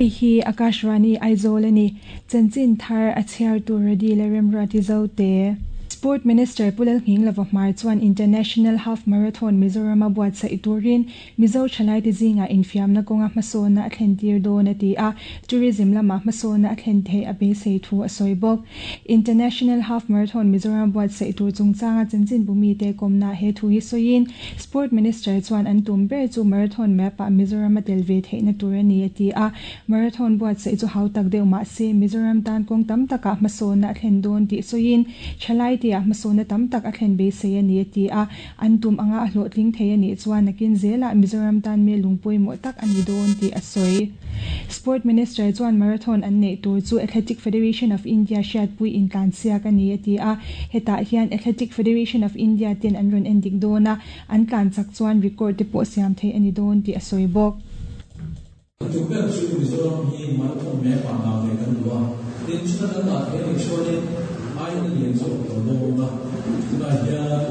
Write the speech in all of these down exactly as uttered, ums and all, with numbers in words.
Hei hi Akashvani Aizawl ani chanchin thar a chhiar tur ready le remruati zo te. Sport Minister Pu Lalnghinglova Hmar chuan International Half Marathon Mizoram a buatsaih turin Mizo thalai te zinga infiamna kawnga hmasawnna a thlen tir dawn a ti a, tourism lama hmasawnna a thlen theih a beisei thu a sawi bawk. International Half Marathon Mizoram buatsaih tur chungchanga chanchin bumi te kawmna he thu hi sawiin Sport Minister chuan an tum ber chu marathon map ah Mizoram a tel ve theihna tur a ni a ti a, marathon buatsaih chu hau tak deuh mah se Mizoram tan kawng tam takah hmasawnna a thlen dawn tih sawiin thalai te ah hmasawnna tam tak a thlen beisei a ni a ti a, an tum anga a hlawhtling thei a nih chuan nakin zelah Mizoram tan me lungpui mawh tak a ni dawn tih a sawi. Sport Minister chuan marathon an neih tur chu Athletic Federation of India hriatpui intlansiak a ni a ti a, hetah hian Athletic Federation of India ten an rawn endik dawn a, an tlanchak chuan record te pawh siam thei a ni dawn tih a sawi bawk. Tum ber chu Mizoram hi marathon map ah dah ve kan duh a, tin chuta kan dah thei a nih chuanin ai na lian zawk lo dawn a, tunah hian lai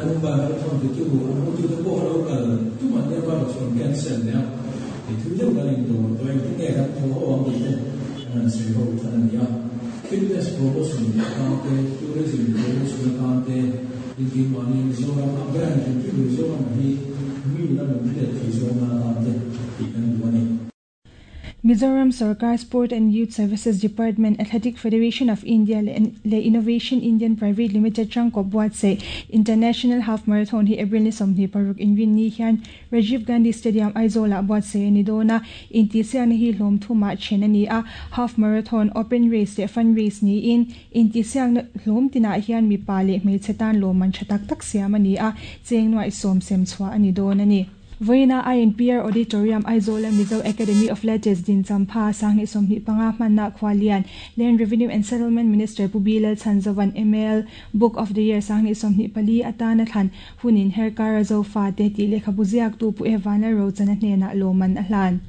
Mumbai marathon titu an hotute pawh a lo kal tum an nia erawh chu an cancel leh a, i thui deuh kan indawr tawh engtin nge kan thaw ho ang tih te kan han sawi ho than a ni a. Fitness promotion atan te, tourism promotion atan te, tin keimahni Mizoram a brand hrim hrim Mizoram hi mi lam an hriat thei zawng atan te tih kan duh a ni. Mizoram Sarkar Sport and Youth Services Department Athletic Federation of India le Innovation Indian Private Limited tangkawp buatsaih International Half Marathon hi April ni sawmhnih paruk inrin ni hian Rajiv Gandhi Stadium Aizawl ah buatsaih a ni dawn a, intihsiakna hi hlawm thumah then a ni a, Half Marathon, Open Race leh Fun Race niin intihsiakna hlawm tinah hian mipa leh hmeichhe tan lawmman tha tak tak siam a ni a, cheng nuaih sawm sem chhuah a ni dawn a ni. Voina I N P R Auditorium Aizawl Mizo Academy of Letters din champha sangni sawmhnih panga hmanna khwalian Land Revenue and Settlement Minister Pu Bilal Chanzawan M L Book of the Year sangni sawmhnih pali atana thlan hunin herkar zofa te ti lekha buziak tu pu Evana Rochana hnena loman a hlan.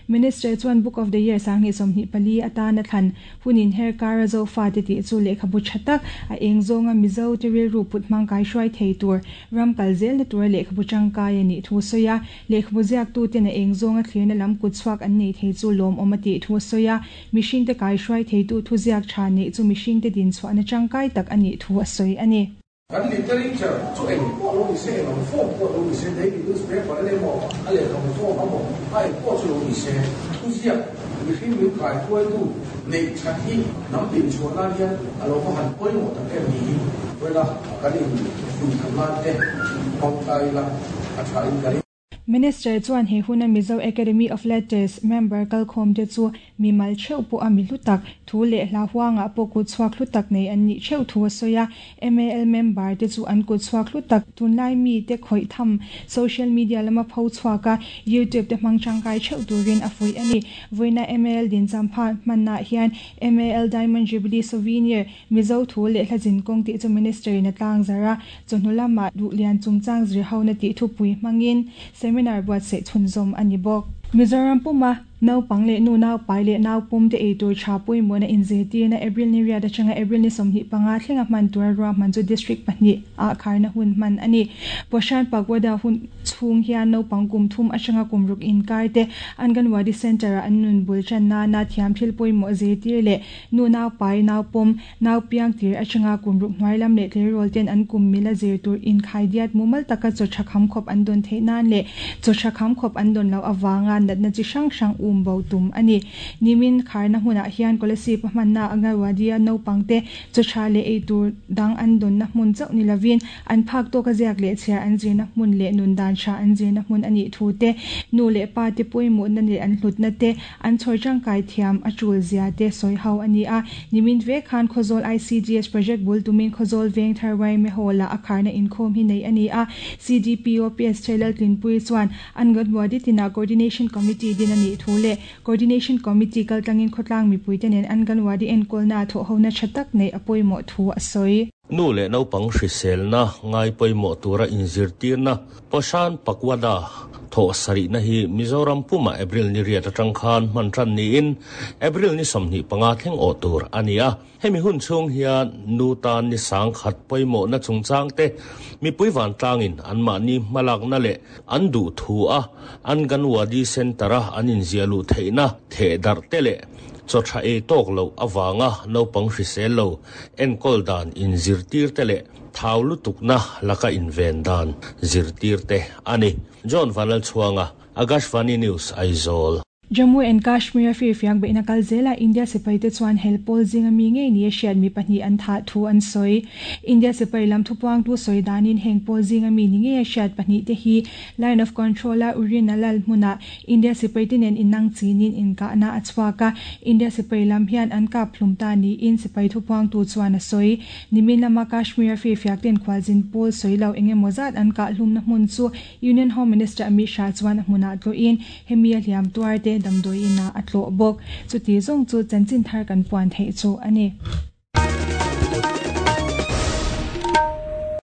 Minister chuan Book of the Year sangni sawmhnih pali atana thlan hunin herkar zofa te ti chu lekha bu thatak a engzonga Mizo tiril ru put mangkai hruai thei tur ramkal zel na tur lekha bu tangkai ani thu soya lekhabu tu te na engzonga thlirna lam kut chuak an nei thei chu lawm awm a tih thu soya mihring te kai hruai thei tu thu ziak tha nei chu mihring te din chhuah na tangkai tak ani thu a sawi ani. Kan literature chu eng pawh lo ni se eng form pawh lo ni se daily newspaper le maw a lehkhabu form a maw a eng pawh chu lo ni se thu ziak mihring min kai hruai tu nei that hi nam din chhuah nan hian a lo va han pawimawh tak em ni hi wela kan in fuih than nan te hmang la a tha in ka ring. Minister chuan he huna Mizo Academy of Letters member kalkhawm te chu mimal theuh pawh a mi hlutak thu leh hla huanga pawh kut chhuak hlutak nei an nih theuh thu a sawi a, M A L member te chu an kut chhuak hlutak tunlai mi te khawih tham social media lama pho chhuak a YouTube te hmang tangkai theuh turin a fuih ani. Voina M A L din champha hmanah hian M A L Diamond Jubilee Souvenir Mizo thu leh hla zin kawng tih chu minister in a tlang zara chawhnu lama duhlian chungchang zir ho na tih thupui hmangin seminar buatsaih chhunzawm ani bawk. Mizoram puma naupang leh nu naupai leh naupum te eitur tha pawimawh na inzirtirna April ni riat atanga April ni sawmhnih panga thlenga hman tura ruahman chu district pahnih ah kharna hun hman ani. Poshan Pagoda hun chhung hian naupang kum thum atanga kum ruk inkar te Anganwadi Center ah an nun bul channa na thiam thil pawimawh zirtir leh nu naupai naupum naupiang tir atanga kum ruk hnuai lam leh tleirawl ten an kum mila zir tur inkhai diat mumal taka chaw tha kham khawp an dawn theih nan leh chaw tha kham khawp an dawn loh awanga natna chi hrang hrang um bo tum ani. Nimin kharna hunah hian Kolasib a hmanna Anganwadi a naupang te chaw tha leh eitur dang an dawn na hmun chauh ni lovin an phak tawk a ziak leh chhiar an zirna hmun leh nun dan tha an zirna hmun ani thu te nu leh pa te pawimawh na leh an hlutna te an chhawi tangkai thiam a tul zia te sawi ho ani a. Nimin ve khan Khawzawl I C D S project bul tumin Khawzawl Veng Tharwai me hawla a kharna inkhawm hi nei ani a. C D P O P S Thailal Tlinpui chuan Anganwadi tina Coordination Committee din ani thu leh Coordination Committee kaltlangin khawtlang mipui te nen Anganwadi enkawlna thawh ho na tha tak nei a pawimawh thu a sawi. Nu le naupang hriselna ngai pawimawh tura inzirtirna Poshan Pakhwada thaw sarihna hi Mizoram puma April ni riat atang khan hman tan niin April ni sawmhnih panga thleng awh tur a ni a. Hemi hun chhung hian nu tan ni sang khat pawimawh na chungchang te mipui vantlangin an mahni hmalakna leh an duh thu a Anganwadi Centre-a an inziah luh theihna theh darh te leh chaw tha ei tawk lo awanga naupang hrisel lo enkawl dan inzirtir te leh thau lutukna laka inven dan zirtir te ani. John Vanlal Chhuanga, Akashvani News, Aizawl. Jammu and Kashmir firfiak beihna kal zela India sipai te chuan helpawl zinga mi ngei ni a hriat mi pahnih an thah thu an sawi. India sipai lam thupuang tu sawi danin heng pawl zinga mi ni ngei a hriat pahnih te hi Line of Control a Uri Nalal hmuna India sipai te nen innang chinin inkahna a chhuak a. India sipai lam hian an kap hlum ta niin sipai thupuang tu chuan a sawi. Nimin lama Kashmir firfiak ten khwalzin pawl sawi lo engemaw zat an kah hlumna hmun chu Union Home Minister Amit Shah chuan a hmunah tlawhin hemi a hliam tuar te damdawi ina a tlawh bawk. Chuti zawng chu chanchin thar kan puan theih chu a ni.